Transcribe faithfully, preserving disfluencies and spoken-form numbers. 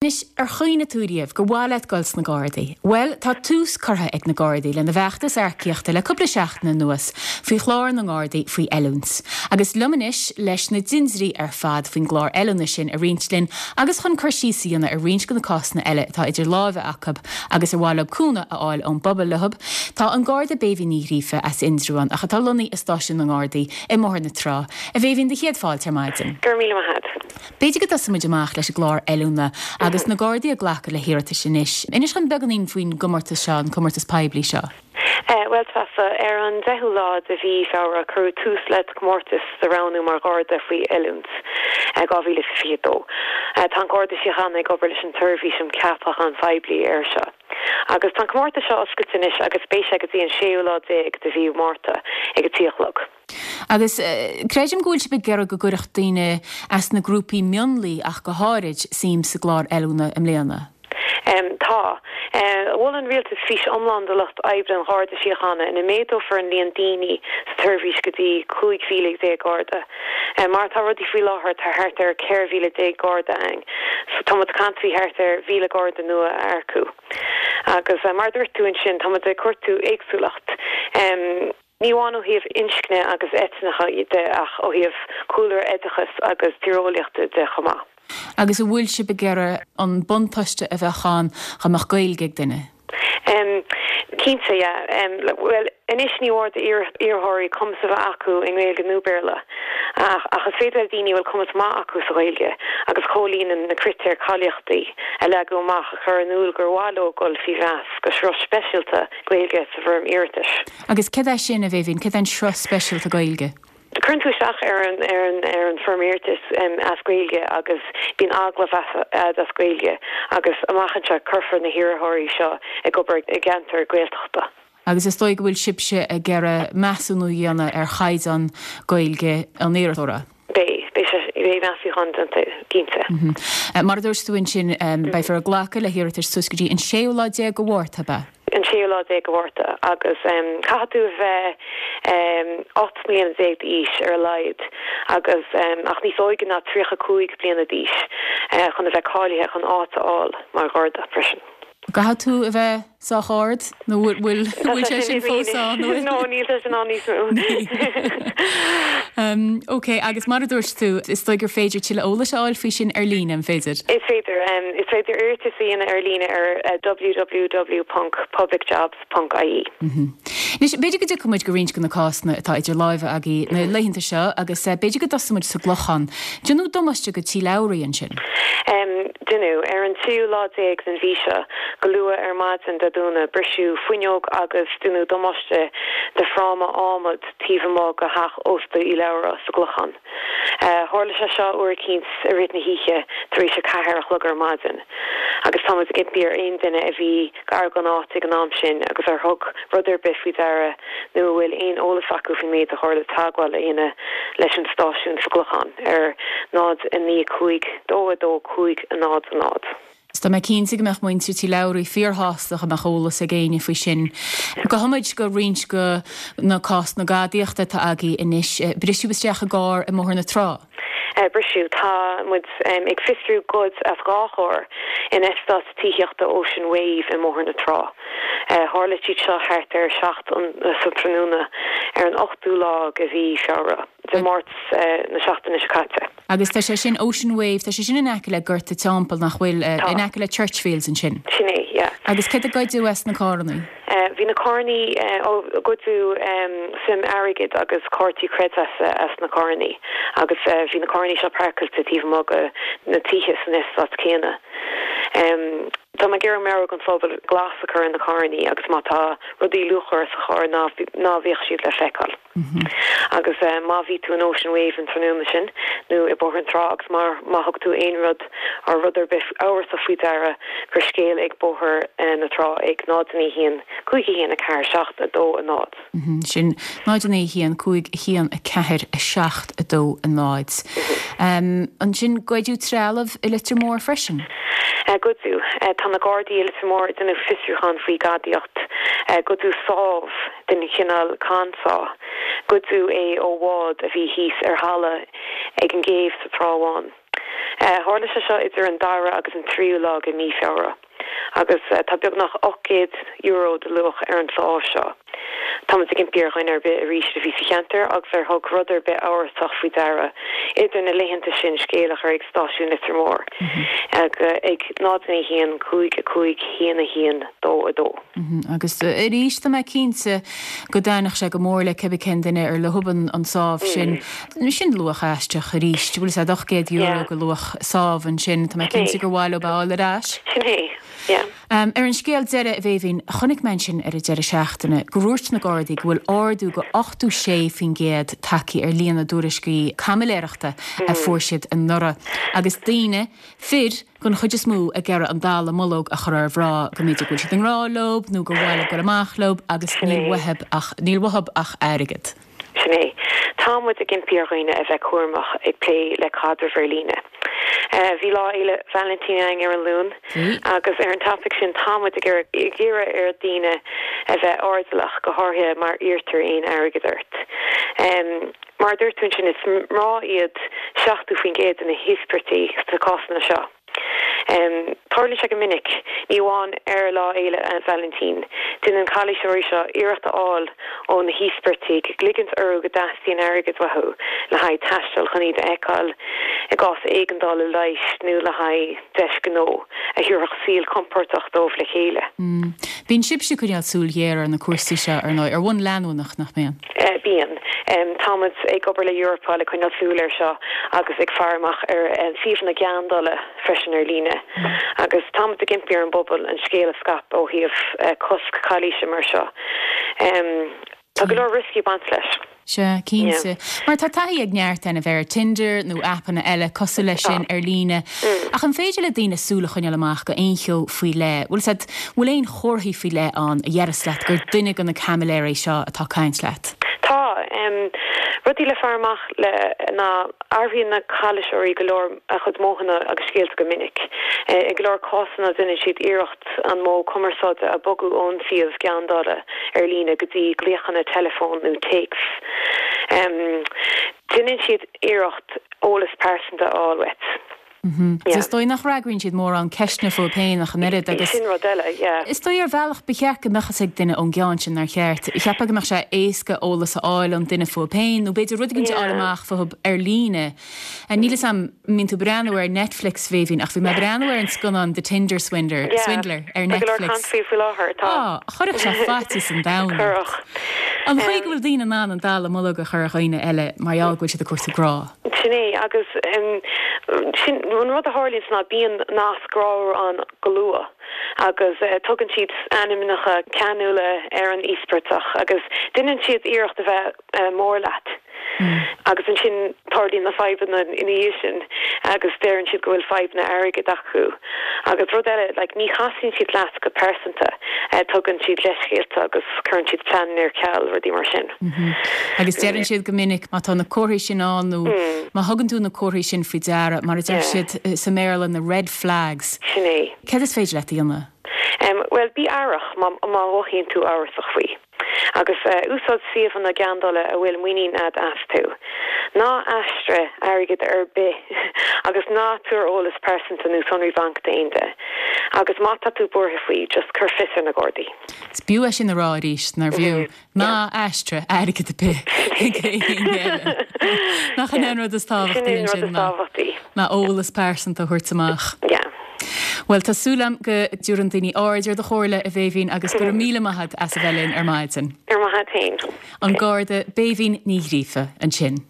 Anois, ar chuimhnigh tú riamh gur mhaith leat dul sna Gardaí? Bhuel, tá tús curtha ag na Gardaí lena bhfeachtas earcaíochta le cúpla seachtain anuas faoi chlár na nGardaí faoi oiliúint. Agus liom anois leis na dintiúirí ar fad faoin gclár oiliúna sin a roinnt linn agus chun cur síos a dhéanamh ar roinnt de na cásanna eile atá idir lámha acu agus ar mhaith leo cúnamh a fháil ón bpobal leo. Tá an Garda Béibhinn Ní Ghríofa as Indreabhán ach atá lonnaithe i stáisiún na nGardaí i mBóthar na Trá. A Bhéibhinn do chéad fáilte ar maidin. Gur míle maith agat. B'fhéidir go dtosóidh muid amach leis an gclár oiliúna agus na Gardaí ag glacadh le hiarratais anois. Inis dom beagáinín faoin gcomórtas seo an comórtas poiblí seo. Uh, well Treasa ar an deichiú lá de mhí Feabhra cuireadh tús le comórtas do roghnú mar Gharda faoi oiliúint uh, dhá mhíle fiche dó. Uh, tá an Garda Síochána ag obair leis an tSeirbhís um Cheapacháin Phoiblí ar seo. Agus tá comórtas seo oscailte anois agus beidh sé go dtí an séú lá déag de mhí Márta ag a trí a chlog. Agus uh, creidim go bhfuil sibh ag iarraidh go gcuirfeadh daoine as na grúpaí mionlaigh ach go háirid suim sa gclár oiliúna i mbliana. Um, tá. Uh, Mhol an rialtas fís iomlán do lucht oibre an Gharda Síochána ina méadófar an líon daoine sa tseirbhís go dtí cúig mhíle déag Garda. Uh, mar tá rudaí faoi láthair tá thart ar ceithre mhíle déag Garda ann. So tá muid ag caint faoi thart ar mhíle Garda nua a earcú. Agus uh, mar dúirt tú ansin tá muid ag cuartú éagsúlacht. Um, Ní amháin ó thaobh inscne agus eitneacha de ach ó thaobh cúlra oideachais agus tíreolaíochta de chomh maith. Agus an bhfuil sibh ag iarraidh an buntáiste a bheith ann go mbeadh Gaeilge ag duine. Um, Cinnte yeah. um, well anois ní mór d'iarrthóirí cumas a bheith acu i nGaeilge nó Béarla. Ach, ach is féidir le daoine bhfuil cumas maith acu sa Ghaeilge agus comhlíonann na critéir cáilíochtaí a leagadh amach a chur in iúl gur mhaith leo dul faoi mheas go sruth speisialta Gaeilge sa bhfoirm iarratais. Agus cad é sin a Bhéibhinn, cad é an sruth speisialta Gaeilge? Cuireann tú isteach ar an ar an ar an bhfoirm iarratais um, as Gaeilge agus bíonn agallamh as Gaeilge agus amach anseo cuirfear na hiarrthóirí seo ag obair i gceantar Gaeltachta. Agus is dóigh go bhfuil sibhse ag iarraidh measúnú a dhéanamh ar chaighdeán Gaeilge an iarrthóra. Beidh beidh measúnú déanta cinnte. Mar a dúirt tú ansin beifear ag glacadh le hiarratais suas go dtí an séú lá déag de Mhárta ba. an séú lá déag de Mhárta agus um, caithfidh tú bheith um, ocht mbliana déag d'aois ar a laghad agus um, ach níos óige ná tríocha cúig bliana d'aois uh, chun a bheith cáilithe chun áit a fháil mar Gharda freisin. Caithfidh tú a bheith sách ard nó bhfuil bhfuil sé sin fós ann No níl sin ann níos mó. Um, ok, agus mar a dúirt tú is dóigh gur féidir tuilleadh eolais a fháil faoi sin ar líne an féidir. Is féidir um, is féidir iarratas a dhéanamh ar líne ar uh, www.publicjobs.ie. Anois b'fhéidir go dtiocfaidh muid go roinnt de na cásanna atá idir lámha agaibh na laethanta seo agus uh, b'fhéidir go dtosóidh muid sa gClochán. Déanadh damáiste go Tí Labhraí ansin. Um, Déanadh ar an tríú lá déag den mhí seo go luath ar maidin Dé Domhnaigh briseadh fuinneog agus déanadh damáiste de fhráma adhmaid taobh amuigh de theach ósta Uí Labhra sa gClochán. Uh, Tharla sé seo uair eicínt i rith na hoíche tar éis a ceathair a chlog ar maidin. Agus tá ag impí ar aon duine a bhí gar don áit ag an am sin agus ar thug rud ar bith faoi deara nó bhfuil aon eolas acu faoin méid a tharla teagmháil a dhéanamh leis an stáisiún sa gClochán ar náid a naoi cúig dó a dó cúig a náid a náid. Tá mé cinnte go mbeadh muintir Tí Labhraí fíorshásta go mbeadh eolas ag éinne faoi sin. Gabhfaidh muid go roinnt de na cásanna gadaíochta atá agaibh anois briseadh isteach i gcarr i mBóthar na Trá. Uh, briseadh tá muid um, ag fiosrú goid as dhá charr in eastát tithíochta Ocean Wave i mBóthar na Trá. Uh, Tharla siad seo thart ar seacht sa tráthnóna ar an ochtú lá de mhí Feabhra, Dé Máirt uh, na seachtaine seo caite. Agus tá sé sin Ocean Wave, tá sé sin in aice le Gort an Teampaill nach bhfuil uh, in aice le Churchfields ansin. Sin é, yeah. Agus cad a goideadh as na carranna? Uh, bhí na carranna uh, goideadh um, suim airgid agus cártaí creidmheasa as na carranna agus uh, bhí na carranna seo páirceáilte taobh amuigh de na tithe san eastát céanna. Um, Tá mé ag iarraidh ar an phobal glas a chur ar na carranna agus má tá rudaí luachmhara sa charr ná ná bíodh siad le feiceáil. Mm -hmm. Agus uh, má bhí tú in Ocean Wave an tráthnóna sin nó i Bóthar na Trá agus mar má thug tú aon rud ar rud ar bith amhrasach faoi deara cuir scéal ag Bóthar uh, na Trá ag náid naoi haon cúig haon a ceathair seacht a dó a náid. Mm -hmm. Sin náid naoi haon cúig haon a ceathair a seacht a dó a náid. Um, ansin goideadh trealamh i Leitir Móir freisin. Uh, Goideadh uh, tá na Gardaí i Leitir Móir ag déanamh fiosrúchán faoi ghadaíocht uh, goideadh sábh den chineál bandsaw. Goideadh é ó bhád a bhí thíos ar thalamh ag an gcéibh sa Trá Bháin. Tharla sé seo idir an dara agus an tríú lá de mí Feabhra. Agus tá beagnach ocht gcéad euro de luach ar an sábh seo. Táimid ag impí ar dhuine ar bith arís a bhí sa cheantar agus ar thug rud ar bith amhrasach faoi deara idir na laethanta sin scéal a chur ag stáisiún Leitir Móir ag ag náid naoi haon cúig a cúig haon a haon dó a dó. Agus arís tá mé cinnte go dtaitneodh sé go mór le cibé cén duine ar leob an sábh sin. Sin luach aisteach arís, bhfuil sé ocht gcéad euro de luach sábh ansin, tá mé cinnte gur mhaith leo a fháil ar ais. Sin é. Yeah. Um, ar an scéal deiridh a Bhéibhinn, chonaic mé ansin ar an deireadh seachtaine go ndúirt na Gardaí go bhfuil ardú go ochtó sé faoin gcéad tagtha ar líon na dtuairiscí caimiléireachta a fuair siad anuraidh. Agus daoine, fir, den chuid is mó ag iarraidh an dallamullóg a chur ar mhná go mb'fhéidir go bhfuil siad i ngrá leo nó gur mhaith leo dul amach leo agus níl uathub ach níl uathub ach airgead. Sin é. Tá muid ag impí ar dhaoine a bheith cúramach ag plé le caidreamh ar líne. Bhí Lá Fhéile Vailintín againn ar an Luan agus ar an topaic sin tá muid ag iarraidh ar dhaoine a bheith airdeallach, go háirithe má iarrtar aon airgead ort. Mar a dúirt tú ansin, is mná iad seachtó faoin gcéad de na híospartaigh sna cásanna seo. Tarlaíonn sé go minic, ní amháin ar Lá Fhéile Vailintín. Déanann calaoiseoirí seo iarracht a fháil ó na híospartaigh, ligint orthu go dteastaíonn airgead uathu le haghaidh taisteal chun iad a fheiceáil i gcás éigeandála leighis nó le haghaidh deis gnó a thabharfadh saol compordach dóibh le chéile. Bíonn sibhse ag coinneáil súil ghéar ar na cúrsaí seo, ar ndóigh, ar bhonn leanúnach, nach mbíonn? Bíonn. Táimid ag obair le Europol ag coinneáil súil air seo agus ag faire amach ar suíomhanna geandála freisin ar líne. Agus táimid ag impí ar an bpobal an scéal a scaipeadh ó thaobh cosc calaoise mar seo. Tá go leor rioscaí ag baint leis. Sea, cinnte. Mar tá taithí ag neart againn ar Tinder nó aipeanna eile cosúil leis sin ar líne. Ach an féidir le daoine súil a choinneáil amach go aon cheo faoi leith? Bhfuil said, bhfuil aon chomharthaí faoi leith ann a dhéarfas leat gur duine de na caimiléirí seo atá ag caint leat? Tá. Rudaí le faire amach le ná athraíonn na calaoiseoirí go leor a chuid modhanna agus scéalta go minic. I go leor cásanna déanann siad iarracht an modh cumarsáide a bogadh ón suíomh geandála ar líne go dtí glaochanna teileafóin nó téacs. Déanann siad iarracht eolas pearsanta a fháil uait. Is dóigh nach bhfreagraíonn siad mórán ceisteanna fúthu féin ach an oiread agus. Sin rud eile, yeah. Is dóigh ar bhealach ba cheart go mbeadh fhios ag duine ón gceann sin nár cheart. Cheapfá go mbeadh sé éasca eolas a fháil ón duine fúthu féin nó b'fhéidir rud éigin a fháil amach fúthu ar líne. Níl fhios a'm an mbíonn tú ag breathnú ar Netflix Bhéibhinn ach bhí mé ag breathnú ar an scannán The Tinder Swindler, Swindler ar Tá go leor Netflix. caint faoi faoi láthair, tá. Á, chuirfeadh sé faitíos an domhain ort. Chuirfeadh. An chaoi go bhfuil daoine in ann an dallamullóg a chur ar dhaoine eile mar gheall go bhfuil siad ag cuartú grá. Sin é agus sin an rud a tharlaíonn ná bíonn nasc grámhar ann go luath agus tugann siad ainmneacha ceanúla ar an íospartach agus déanann siad iarracht a bheith mór leat agus ansin tarlaíonn na fadhbanna ina dhiaidh sin agus deireann siad go bhfuil fadhbanna airgid acu agus rud eile like ní chasann siad leat go pearsanta tugann siad leithscéalta agus cuireann siad pleananna ar ceal rudaí mar sin. Agus deireann siad go minic má tá na comharthaí sin ann nó má thugann tú na comharthaí sin faoi deara mar a deir siad sa mBéarla na red flags. Sin é. Céard is féidir leat a dhéanamh? Bhuel bí aireach má má mhothaíonn tú amhrasach faoi. Agus úsáid suíomhanna geandála a bhfuil muinín a'd astu. Ná aistrigh airgead ar bith agus ná tabhair eolas pearsanta nó sonraí banc d'aon duine. Agus má tá tú buartha faoi, just cuir fios ar na Gardaí. Is b'fhiú é sin a rá arís, nár bhfiú? Ná aistrigh airgead ar bith chuig éinne eile. Nach in é an rud is tábhachtaí ansin ná ná eolas pearsanta a thabhairt amach. Yeah. Bhuel, tá súil agam go dtabharfaidh daoine aird ar do chomhairle, a Bhéibhinn, agus go raibh míle maith agat as a bheith linn ar maidin. Ar maith féin. An Garda Béibhinn Ní Ghríofa ansin.